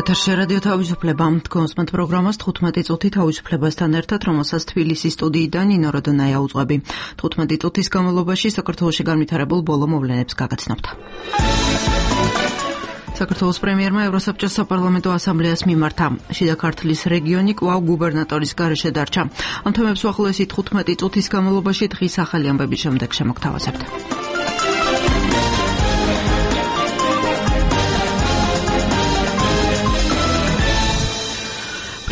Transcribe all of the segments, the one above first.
ეთერში რადიო თავისუფლება. კონსმენტ პროგრამას 15 წუთი თავისუფლებასთან ერთად, რომელსაც თბილისის სტუდიიდან ნინო როდონაია უძღვები. 15 წუთის განმავლობაში საქართველოში განვითარებულ ბოლო მოვლენებს გაგაცნობთ. საქართველოს პრემიერმა ევროსაბჭოს საპარლამენტო ასამბლეას მიმართა. შიდა ქართლის რეგიონი კვლავ გუბერნატორის გარეშე დარჩა. ამ თემებს უახლოესი 15 წუთის განმავლობაში დღის ახალი ამბების შემდეგ შემოგთავაზებთ.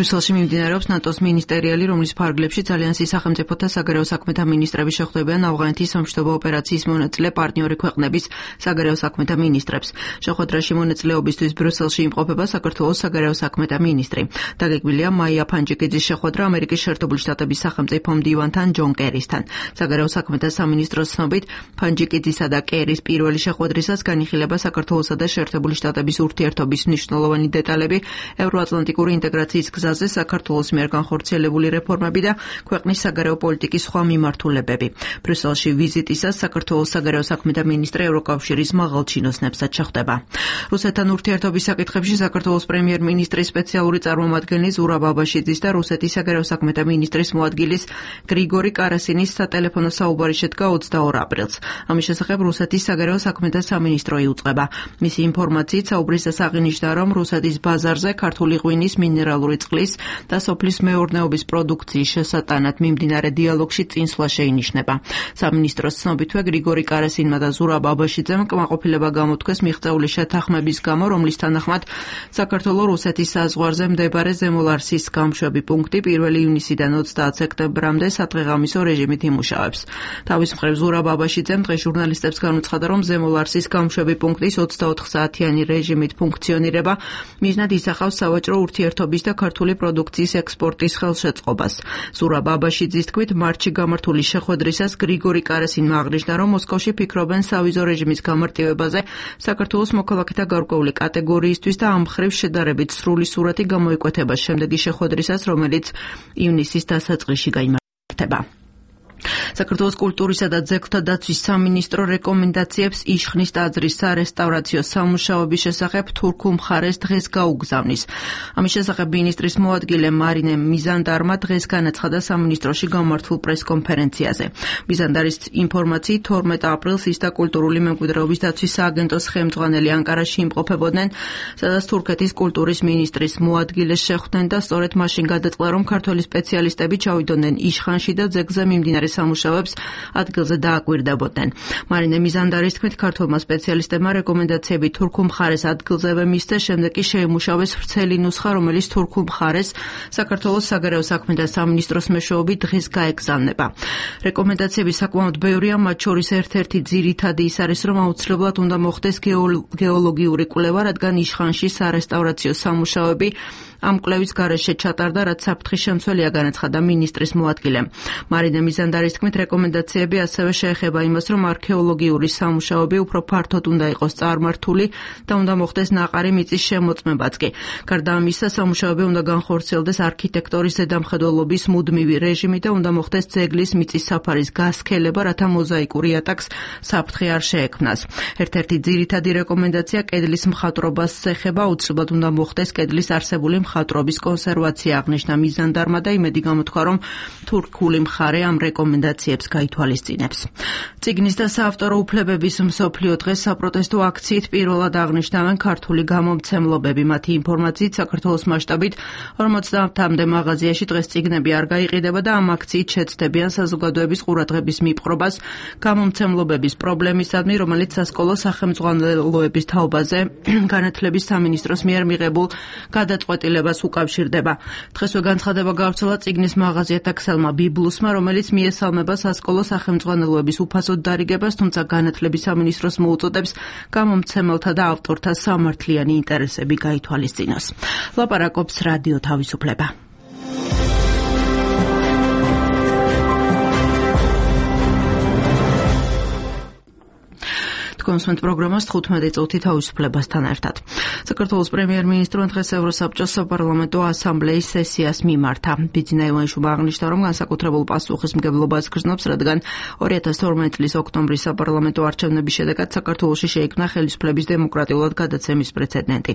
ბრიუსელში მიმდინარეობს ნატოს მინისტერიალი, რომლის ფარგლებში ალიანსის სახელმწიფოთა საგარეო საქმეთა მინისტრები შეხვდებიან ავღანეთის სამშვიდობო ოპერაციის მონაწილე პარტნიორი ქვეყნების საგარეო საქმეთა მინისტრებს. შეხვედრაში მონაწილეობისთვის ბრიუსელში იმყოფება საქართველოს საგარეო საქმეთა მინისტრი. დაგეგმილია მაია ფანჯიკიძის შეხვედრა ამერიკის შეერთებული შტატების სახელმწიფო მდივანთან ჯონ კერისთან. საგარეო საქმეთა სამინისტროს ცნობით, ფანჯიკიძისა და კერის პირველი შეხვედრისას განიხილება საქართველოსა და შეერთებული შტატების ურთიერთობის მნიშვნელოვანი დეტალები, ევროატლანტიკური ინტეგრაციის გზაზე საქართველოს მიერ განხორციელებული რეფორმები და ქვეყნის საგარეო პოლიტიკის სხვა მიმართულებები. ბრიუსელში ვიზიტისას საქართველოს საგარეო საქმეთა მინისტრი ევროკავშირის მაღალჩინოსნებსაც შეხვდება. რუსეთთან ურთიერთობის საკითხებში საქართველოს პრემიერ-მინისტრის სპეციალური წარმომადგენელი ზურაბ აბაშიძის და რუსეთის საგარეო საქმეთა მინისტრის მოადგილის გრიგორი კარასინის სატელეფონო საუბარი შედგა 22 აპრილს. ამის შესახებ რუსეთის საგარეო საქმეთა სამინისტრო იუწყება. მისი ინფორმაციით საუბრისას აღინიშნა, რომ რუსეთის ბაზარზე ქართული ღვინის, მინერალური წყლის და სოფლის მეურნეობის პროდუქციის შესატანად მიმდინარე დიალოგში წინსვლა შეინიშნება. სამინისტროს ცნობითვე გრიგორი კარასინმა და ზურაბ აბაშიძემ კმაყოფილება გამოთქვეს მიღწეული შეთანხმების გამო, რომლის თანახმად საქართველოს რუსეთის საზღვარზე მდებარე ზემოლარსის გამშვები პუნქტი 1 ივნისიდან 30 სექტემბრამდე სადღეღამისო რეჟიმით იმუშავებს. თავის მხრივ ზურაბ აბაშიძემ დღეს ჟურნალისტებს განუცხადა, რომ ზემოლარსის გამშვები პუნქტის 24 საათიანი რეჟიმით ფუნქციონირება მიზნად ისახავს სავაჭრო ურთიერთობის და ქართული პროდუქციის ექსპორტის ხელშეწყობას. ზურაბ აბაშიძის თქმით, მარტში გამართული შეხვედრისას გრიგორი კარასინმა აღნიშნა, რომ მოსკოვში ფიქრობენ სავიზო რეჟიმის გამარტივებაზე საქართველოს მოქალაქეთა გარკვეული კატეგორიისთვის და ამ მხრივ შედარებით სრული სურათი გამოიკვეთება შემდეგი შეხვედრისას, რომელიც ივნისის დასაწყისში გაიმართება. საქართველოს კულტურისა და ძეგლთა დაცვის სამინისტრო რეკომენდაციებს იშხნის ტაძრის სარესტავრაციო სამუშაოების შესახებ თურქულ მხარეს დღეს გაუგზავნის. ამის შესახებ მინისტრის მოადგილე მარინე მიზანდარმა დღეს განაცხადა სამინისტროში გამართულ პრესკონფერენციაზე. მიზანდარის ინფორმაციით 12 აპრილს ის და კულტურული მემკვიდრეობის დაცვის სააგენტოს ხელმძღვანელი ანკარაში იმყოფებოდნენ, სადაც თურქეთის კულტურის მინისტრის მოადგილეს შეხვდნენ და სწორედ მაშინ გადაწყდა, რომ ქართველი სპეციალისტები ჩავიდოდნენ იშხანში და ძეგლზე მიმდინარე სამუშაოებს ადგილზე დააკვირდებოდნენ. მარინე მიზანდარის თქმით, ქართველმა სპეციალისტებმა რეკომენდაციები თურქულ მხარეს ადგილზევე მისცეს, შემდეგ კი შეიმუშავეს ვრცელი ნუსხა, რომელიც თურქულ მხარეს საქართველოს საგარეო საქმეთა სამინისტროს მეშვეობით დღეს გაეგზავნება. რეკომენდაციები საკმაოდ ბევრია, მათ შორის ერთ-ერთი ძირითადი ის არის, რომ აუცილებლად უნდა მოხდეს გეოლოგიური კვლევა, რადგან იშხანში სარესტავრაციო სამუშაოები ამ კვლევის გარეშე ჩატარდა, რაც საფრთხის შემცველია, განაცხადა მინისტრის მოადგილემ. მარინე მიზანდარის თქმით, რეკომენდაციები ასევე შეეხება იმას, რომ არქეოლოგიური სამუშაოები უფრო ფართოდ უნდა იყოს წარმართული და უნდა მოხდეს ნაყარი მიწის შემოწმებაც კი. გარდა ამისა, სამუშაოები უნდა განხორციელდეს არქიტექტორის ზედამხედველობის მუდმივი რეჟიმი და უნდა მოხდეს ძეგლის მიწის საფარის გასქელება, რათა მოზაიკური ატაკს საფრთხე არ შეექმნას. ერთ-ერთი ძირითადი რეკომენდაცია კედლის მხატვრობას ეხება, აუცილებლად უნდა მოხდეს კედლის არსებული მხატვრობის კონსერვაცია, აღნიშნა მიზანდარმა და იმედი გამოთქვა, რომ თურქული მხარე ამ რეკომენდაციებს გაითვალისწინებს. წიგნის და საავტორო უფლებების მსოფლიო დღეს საპროტესტო აქციით პირველად აღნიშნავენ ქართული გამომცემლობები. მათი ინფორმაციით, საქართველოს მასშტაბით 50-მდე მაღაზიაში დღეს წიგნები არ გაიყიდება და ამ აქციით შეცდებიან საზოგადოების ყურადღების მიპყრობას გამომცემლობების პრობლემისადმი, რომელიც სასკოლო სახელმძღვანელოების თაობაზე განათლების სამინისტროს მიერ მიღებულ გადაწყვეტილებას უკავშირდება. დღესვე განცხადება გავრცელა წიგნის მაღაზიათა ქსელმა ბიბლუსმა, რომელიც მიესალმება სასკოლო სახელმძღვანელოების უფასოდ დარიგებას, თუმცა განათლების სამინისტროს მოუწოდებს გამომცემელთა და ავტორთა სამართლიანი ინტერესები გაითვალისწინოს. ლაპარაკობს რადიო თავისუფლება. Თქვენს პროგრამას 15 წუთი თავისუფლებასთან ერთად. საქართველოს პრემიერ-მინისტრმა დღეს ევროსაბჭოს საპარლამენტო ასამბლეის სესიას მიმართა. ბიძინა ივანიშვილმა აღნიშნა, რომ განსაკუთრებულ პასუხისმგებლობას გრძნობს, რადგან 2012 წლის ოქტომბრის საპარლამენტო არჩევნების შედეგად საქართველოში შეიქმნა ხელისუფლების დემოკრატიულად გადაცემის პრეცედენტი.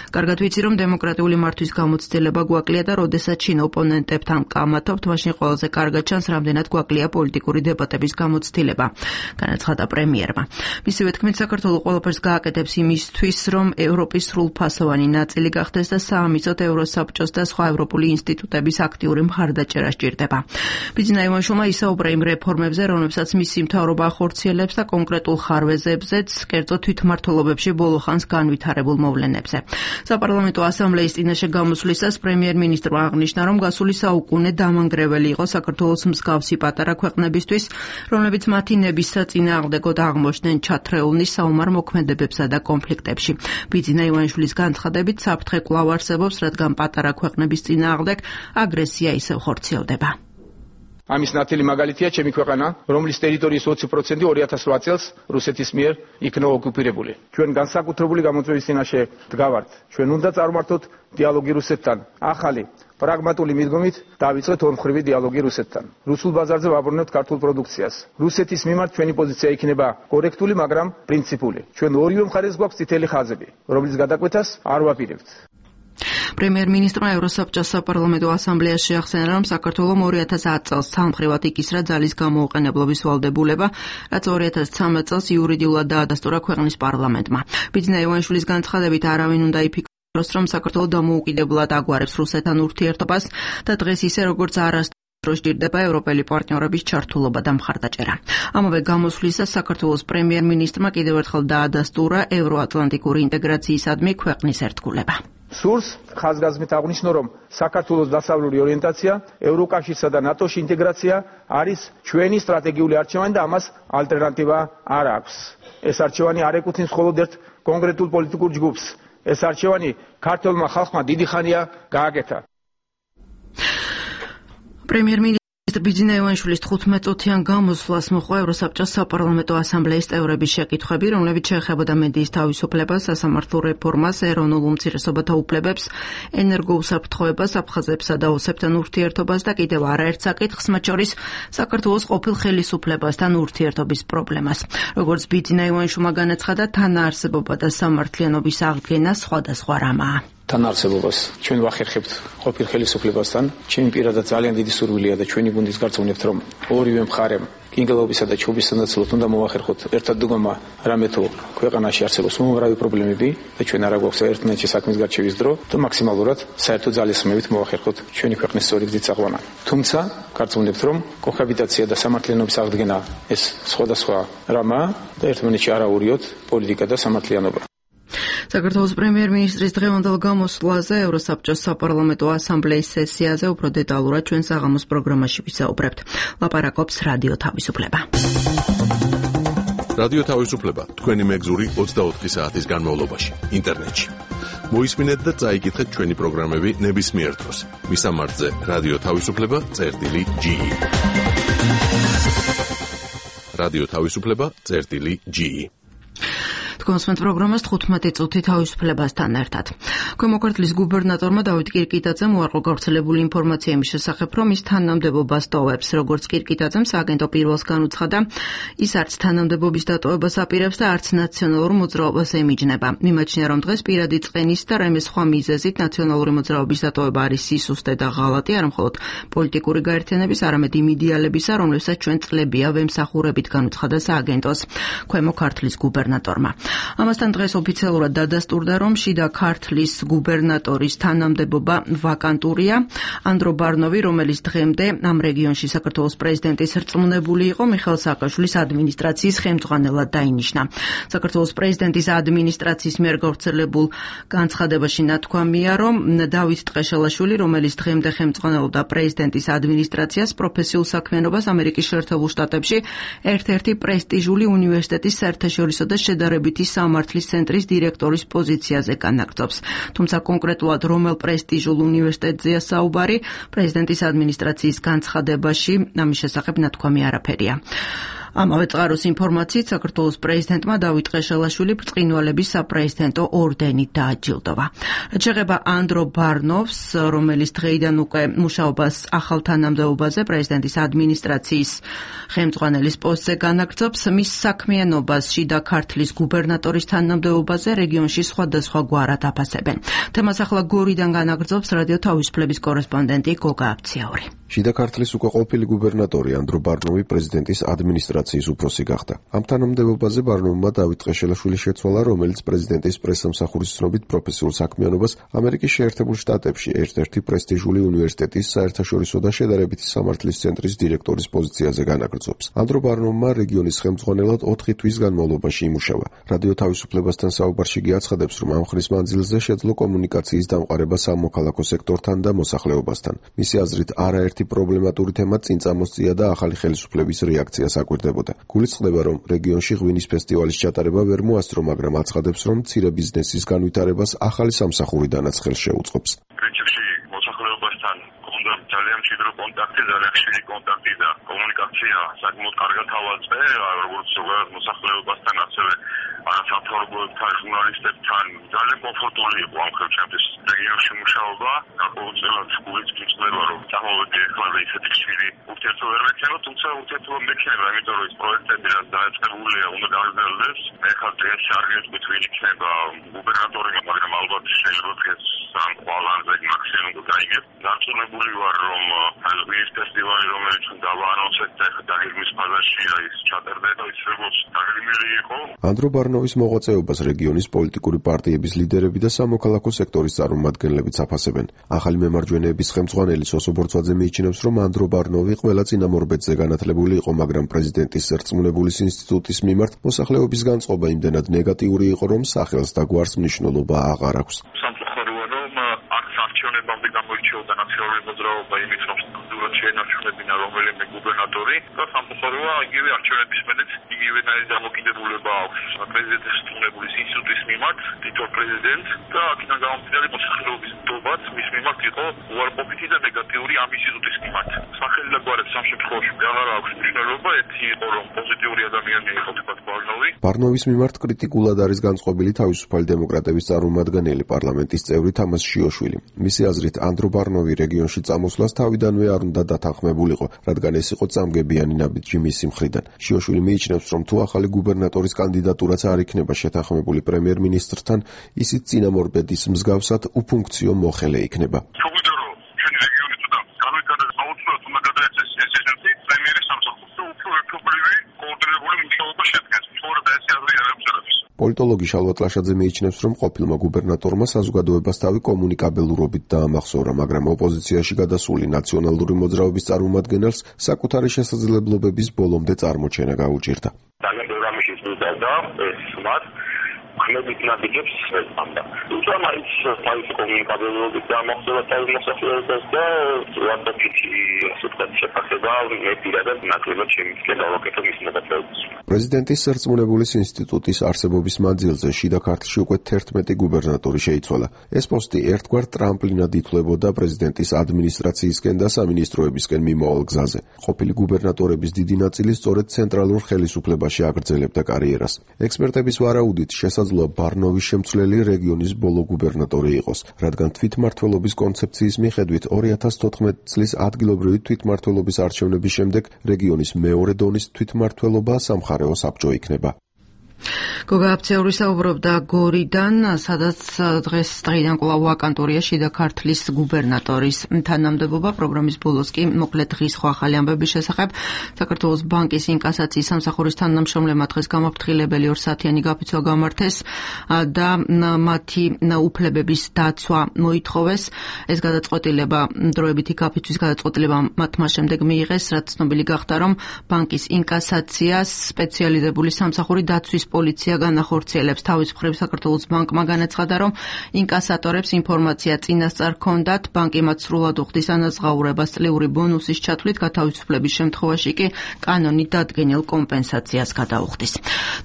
კარგად ვიცი, რომ დემოკრატიული მართვის გამოცდილება გვაკლია და როდესაც შინ ოპონენტებთან კამათობთ, მაშინ ყველაზე კარგად ჩანს, რამდენად გვაკლია პოლიტიკური დებატების გამოცდილება, განაცხადა პრემიერმა. მისივე თქმით, საქართველო ყველაფერს გააკეთებს იმისთვის, რომ ევროპის სრულფასოვანი ნაწილი გახდეს და საამისოდ ევროსაბჭოს და სხვა ევროპული ინსტიტუტების აქტიური მხარდაჭერა სჭირდება. ბიძინა ივანიშვილმა ისაუბრა იმ რეფორმებზე, რომლებსაც მისი მთავრობა ახორციელებს და კონკრეტულ ხარვეზებზეც, კერძო თვითმმართველობებში ბოლო ხანს განვითარებულ მოვლენებზე. საპარლამენტო ასამბლეის წინაშე გამოსვლისას პრემიერ-მინისტრმა აღნიშნა, რომ გასული საუკუნე დამანგრეველი იყო საქართველოს მსგავსი პატარა ქვეყნებისთვის, რომლებიც მათი ნების საწინააღმდეგოდ აღმოჩნდნენ ჩათრეულნი საომარ მოქმედებებსა და კონფლიქტებში. ბიძინა ივანიშვილის განცხადებით, საფრთხე კვლავ არსებობს, რადგან პატარა ქვეყნების წინააღმდეგ აგრესია ისევ ხორციელდება. ამის ნათელი მაგალითია ჩემი ქვეყანა, რომლის ტერიტორიის 20% 2008 წელს რუსეთის მიერ იქნა ოკუპირებული. ჩვენ განსაკუთრებული გამოწვევის წინაშე დგავართ. ჩვენ უნდა წარმართოთ დიალოგი რუსეთთან. ახალი პრაგმატული მიდგომით დავიწყეთ ორმხრივი დიალოგი რუსეთთან. რუსულ ბაზარზე ვაბრუნებთ ქართულ პროდუქციას. რუსეთის მიმართ ჩვენი პოზიცია იქნება კორექტული, მაგრამ პრინციპული. ჩვენ ორივე მხარეს გვაქვს წითელი ხაზები, რომლის გადაკვეთას არ ვაპირებთ. პრემიერ-მინისტრმა ევროსაბჭოს საპარლამენტო ასამბლეას შეახსენა, რომ საქართველომ 2010 წელს თანმხრივად იკისრა ძალის გამოუყენებლობის ვალდებულება, რაც 2013 წელს იურიდიულად დაადასტურა ქვეყნის პარლამენტმა. ბიძინა ივანიშვილის განცხადებით, არავინ უნდა იფიქროს, რომ საქართველო დამოუკიდებლად აგვარებს რუსეთთან ურთიერთობას და დღეს ისე როგორც არასდროს სჭირდება ევროპელი პარტნიორების ჩართულობა და მხარდაჭერა. ამავე გამოსვლისას საქართველოს პრემიერ-მინისტრმა კიდევ ერთხელ დაადასტურა ევროატლანტიკური ინტეგრაციისადმი ქვეყნის ერთგულება. სურს ხაზგასმით აღნიშნო, რომ საქართველოს დასავლური ორიენტაცია, ევროკავშირსა და ნატოში ინტეგრაცია არის ჩვენი სტრატეგიული არჩევანი და ამას ალტერნატივა არ აქვს. ეს არჩევანი არ ეკუთვნის მხოლოდ ერთ კონკრეტულ პოლიტიკურ ჯგუფს. ეს არჩევანი ქართველმა ხალხმა დიდი ხანია გააკეთა. პრემიერ-მინისტრი ბიძინა ივანიშვილის 15 წუთიან გამოსვლას მოჰყვა ევროსაბჭოს საპარლამენტო ასამბლეის წევრების შეკითხვები, რომლებიც შეეხებოდა მედიის თავისუფლებას, სასამართლო რეფორმას, ეროვნულ უმცირესობათა უფლებებს, ენერგოუსაფრთხოებას, აფხაზებსა და ოსებთან ურთიერთობას და კიდევ არაერთ საკითხს, მათ შორის საქართველოს ყოფილ ხელისუფლებასთან ურთიერთობის პრობლემას. როგორც ბიძინა ივანიშვილმა განაცხადა, თანაარსებობა და სამართლიანობის აღდგენა სხვადასხვა რამაა. თანაარსებობას ჩვენ ვახერხებთ ყოფილ ხელისუფლებასთან. ჩემი პირადად ძალიან დიდი სურვილია და ჩვენი გუნდის გარწმუნებთ, რომ ორივე მხარემ კინგელობისა და ჩუბის სანაცვლოდ უნდა მოვახერხოთ ერთად დგომა, რამე თუ ქვეყანაში არსებობს უმრავი პრობლემები და ჩვენ არა გვაქვს ერთმანეთში საქმის გარჩევის დრო და მაქსიმალურად საერთო ძალისხმევით მოვახერხოთ ჩვენი ქვეყნის სწორი გზით წაყვანა. თუმცა გარწმუნებთ, რომ კოჰაბიტაცია და სამართლიანობის აღდგენა ეს სხვადასხვა რამაა და ერთმანეთში არ აურიოთ პოლიტიკა და სამართლიანობა. საქართველოს პრემიერ-მინისტრის დღევანდელ გამოსვლაზე ევროსაბჭოს საპარლამენტო ასამბლეის სესიაზე უფრო დეტალურად ჩვენ საღამოს პროგრამაში ვისაუბრებთ. ლაპარაკობს რადიო თავისუფლება. რადიო თავისუფლება თქვენი მეგზური 24 საათის განმავლობაში ინტერნეტში. მოისმინეთ და წაიკითხეთ ჩვენი პროგრამები ნებისმიერ დროს. მისამართზე რადიო თავისუფლება.ge. რადიო თავისუფლება.ge. კონსმენთ პროგრამას 15 წუთი თავისუფლებასთან ერთად. ქვემო ქართლის გუბერნატორმა დავით კირკიტაძემ უარყო გავრცელებული ინფორმაცია იმის შესახებ, რომ ის თანამდებობას ტოვებს. როგორც კირკიტაძემ სააგენტო პირველს განუცხადა, ის არც თანამდებობის დატოვებას აპირებს და არც ნაციონალურ მოძრაობას ემიჯნება. მიმაჩნია, რომ დღეს პირადი წყენის და რამე სხვა მიზეზით ნაციონალური მოძრაობის დატოვება არის სისუსტე და ღალატი, არა მხოლოდ პოლიტიკური გაერთიანების, არამედ იმ იდეალებისა, რომლებსაც ჩვენ წლებია ვემსახურებით, განუცხადა სააგენტოს ქვემო ქართლის გუბერნატორმა. ამასთან დღეს ოფიციალურად დადასტურდა, რომ შიდა ქართლის გუბერნატორის თანამდებობა ვაკანტურია. ანდრო ბარნოვი, რომელიც დღემდე ამ რეგიონში საქართველოს პრეზიდენტის რწმუნებული იყო, მიხეილ სააკაშვილის ადმინისტრაციის ხელმძღვანელად დაინიშნა. საქართველოს პრეზიდენტის ადმინისტრაციის მიერ გავრცელებულ განცხადებაში ნათქვამია, რომ დავით ტყეშელაშვილი, რომელიც დღემდე ხელმძღვანელობდა პრეზიდენტის ადმინისტრაციას, პროფესიულ საქმიანობას ამერიკის შეერთებულ შტატებში ერთ-ერთი პრესტიჟული უნივერსიტეტის საერთაშორისო და შედარებითი სამართლის ცენტრის დირექტორის პოზიციაზე განაგრძობს. თუმცა კონკრეტულად რომელ პრესტიჟულ უნივერსიტეტზეა საუბარი, პრეზიდენტის ადმინისტრაციის განცხადებაში ამის შესახებ ნათქვამი არაფერია. ამავე წყაროს ინფორმაციით საქართველოს პრეზიდენტმა დავით ყეშელაშვილი ბრწყინვალების საპრეზიდენტო ორდენით დააჯილდოვა. რაც შეეხება ანდრო ბარნოვს, რომელიც დღეიდან უკვე მუშაობას ახალ თანამდებობაზე პრეზიდენტის ადმინისტრაციის ხელმძღვანელის პოსტზე განაგრძობს, მის საქმიანობას შიდა ქართლის გუბერნატორის თანამდებობაზე რეგიონში სხვადასხვა გვარად აფასებენ. თემას ახლა გორიდან განაგრძობს რადიო თავისუფლების კორესპონდენტი გოგა აბციაური. შიდა ქართლის უკვე ყოფილი გუბერნატორი ანდრო ბარნოვი პრეზიდენტის ადმინისტრაციის უფროსი გახდა. ამ თანამდებობაზე ბარნოვმა დავით ყეშელაშვილი შეცვალა, რომელიც პრეზიდენტის პრესსამსახურის ცნობით პროფესიულ საქმიანობას ამერიკის შეერთებულ შტატებში ერთ-ერთი პრესტიჟული უნივერსიტეტის საერთაშორისო და შედარებითი სამართლის ცენტრის დირექტორის პოზიციაზე განაგრძობს. ანდრო ბარნოვმა რეგიონის ხელმძღვანელად 4 თვის განმავლობაში იმუშავა. რადიო თავისუფლებასთან საუბარში კი აცხადებს, რომ ამ ხნის მანძილზე შეძლო კომუნიკაციის დამყარება სამოქალაქო სექტორთან და მოსახლეობასთან. მისი აზრით, არაერთი პრობლემატური თემა წინ წამოსწია და ახალი ხელისუფლების რეაქცია საკვირდებოდა. გულისხმდება, რომ რეგიონში ღვინის ფესტივალის ჩატარება ვერ მოასწრო, მაგრამ აცხადებს, რომ მცირე ბიზნესის განვითარებას ახალი სამსახურიდანაც ხელს შეუწყობს. პრინციპში მოსახლეობასთან გქონდა ძალიან მჭიდრო კონტაქტი, ძალიან ხშირი კონტაქტი და კომუნიკაცია საკმაოდ კარგად ავაწყე, როგორც ზოგადად მოსახლეობასთან, ასევე სამთავრობოებთან, ჟურნალისტებთან. ძალიან კომფორტული იყო ამ ხელჩემთვის რეგიონში მუშაობა. ყოველწლიურად გულიც გიწყდება, რომ წამოვედი ახლა ისეთი ხშირი ურთიერთობა ვერ მექნება, თუმცა ურთიერთობა მექნება, იმიტომ რომ ეს პროექტები რაც დაიწყებულია, უნდა გავიზრდეს. ეხლა დღეს არ გეტყვით ვინ იქნება გუბერნატორი, მაგრამ ალბათ შეიძლება დღეს სამ ყვალანზე მაქსიმუმ გაიგებ. დარწმუნებული ვარ, რომ ღვინის ფესტივალი, რომელიც უნდა დავაანონსეთ და ეხლა დაგეგმვის ფაზაში ის ჩატარდება, ის როგორც დაგეგმილი იყო. ანდრო ბარნოვის მოღვაწეობას რეგიონის პოლიტიკური პარტიების ლიდერები და სამოქალაქო სექტორის წარმომადგენლებიც აფასებენ. ახალი მემარჯვენეების ხელმძღვანელი სოსო ბორცვაძე მიიჩნევს, რომ ანდრო ბარნოვი ყველა წინამორბედზე განათლებული იყო, მაგრამ პრეზიდენტის სერწმუნებულის ინსტიტუტის მიმართ მოსახლეობის განწყობა იმდენად ნეგატიური იყო, რომ სახელს და გვარს მნიშვნელობა აღარ აქვს. სამწუხაროა, რომ არც არჩევნებამდე გამოირჩეოდა ნაციონალური მოძრაობა იმით, რომ სტруქტურად შეენარჩუნებინა რომელიმე გუბერნატორი და სამწუხაროა იგივე არჩევნების მერეც იგივენაირი დამოკიდებულება აქვს პრეზიდენტის სერწმუნებულის ინსტიტუტის მიმართ, თითოეულ პრეზიდენტს და აქედან გამომდინარე მოსახლეობის ნდობაც მის მიმართ იყო უარყოფითი და ნეგატიური ამ ინსტიტუტის მიმართ. სახელი და გვარებს ამ შემთხვევაში აღარ აქვს მნიშვნელობა, ერთი იყო რომ პოზიტიური ადამიანი იყო თქვათ ბარნოვი. ბარნოვის მიმართ კრიტიკულად არის განწყობილი თავისუფალი დემოკრატების წარმომადგენელი პარლამენტის წევრი თამას შიოშვილი. მისი აზრით, ანდრო ბარნოვი რეგიონში წამოსვლას თავიდანვე არ უნდა დათანხმებულიყო, რადგან ეს იყო წამგებიანი ნაბიჯი მისი მხრიდან. შიოშვილი მიიჩნევს, რომ თუ ახალი გუბერნატორის კანდიდატურაც არ იქნება შეთანხმებული პრემიერ-მინისტრთან, ისიც წინამორბედის მსგავსად უფუნქციო მოხელე იქნება. პოლიტოლოგი შალვა ტლაშაძე მიიჩნევს, რომ ყოფილმა გუბერნატორმა საზოგადოებას თავი კომუნიკაბელურობით დაამახსოვრა, მაგრამ ოპოზიციაში გადასული ნაციონალური მოძრაობის წარმომადგენელს საკუთარი შესაძლებლობების ბოლომდე წარმოჩენა გაუჭირდა. ძალიან ბევრი რამე შეძლო ეს მათ ხმებით ნაბიჯებს შეწამდა. თუმცა მაინც თავისი კომუნიკაბელურობით დაამახსოვრა თავის მოსახლეობას და ვარდაფიცი ასეთად შეფასება პირადად ნაკლებად შემიძლია გავაკეთო მის მოღვაწეობას. პრეზიდენტის სერწმუნებულის ინსტიტუტის არსებობის მანძილზე შიდა ქართლში უკვე 11 გუბერნატორი შეიცვალა. ეს პოსტი ერთგვარ ტრამპლინად ითვლებოდა პრეზიდენტის ადმინისტრაციისკენ და სამინისტროებისკენ მიმავალ გზაზე. ყოფილი გუბერნატორების დიდი ნაწილი სწორედ ცენტრალურ ხელისუფლებაში აგრძელებდა კარიერას. ექსპერტების ვარაუდით შესაძლოა ბარნოვის შემცვლელი რეგიონის ბოლო გუბერნატორი იყოს, რადგან თვითმმართველობის კონცეფციის მიხედვით 2014 წლის ადგილობრივი თვითმმართველობის არჩევნების შემდეგ რეგიონის მეორე დონის თვითმმართველობა სამხარეო საბჭო იქნება. გოგა აბციაური საუბრობდა გორიდან, სადაც დღეიდან კვლავ ვაკანტურია შიდა ქართლის გუბერნატორის თანამდებობა. პროგრამის ბოლოს კი მოკლედ დღის ხო ახალი ამბების შესახებ. საქართველოს ბანკის ინკასაციის სამსახურის თანამშრომლებმა დღეს გამაფრთხილებელი 2 საათიანი გაფიცვა გამართეს და მათი უფლებების დაცვა მოითხოვეს. ეს გადაწყვეტილება, დროებითი გაფიცვის გადაწყვეტილება მათმა შემდეგ მიიღეს, რაც ცნობილი გახდა, რომ ბანკის ინკასაციას სპეციალიზებული სამსახური დაცვის პოლიცია განახორციელებს. თავის მხრივ საქართველოს ბანკმა განაცხადა, რომ ინკასატორებს ინფორმაცია წინასწარ ჰქონდათ, ბანკი მათ სრულად უხდის ანაზღაურებას წლიური ბონუსის ჩათვლით, გათავისუფლების შემთხვევაში კი კანონით დადგენილ კომპენსაციას გადაუხდის.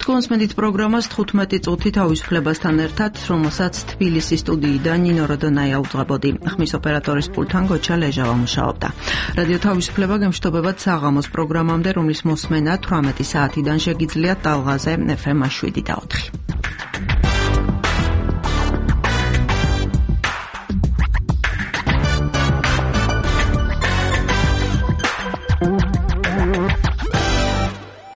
თქვენს მედით პროგრამას 15 წუთი თავისუფლებასთან ერთად, რომელსაც თბილისის სტუდიიდან ნინო როდონაია უძღვებოდი. ხმის ოპერატორის პულტთან გოჩა ლეჟავა მუშაობდა. რადიო თავისუფლება გემშვიდობებად საღამოს პროგრამამდე, რომლის მოსმენა 18 საათიდან შეგიძლიათ ტალღაზე FM 7 და 4.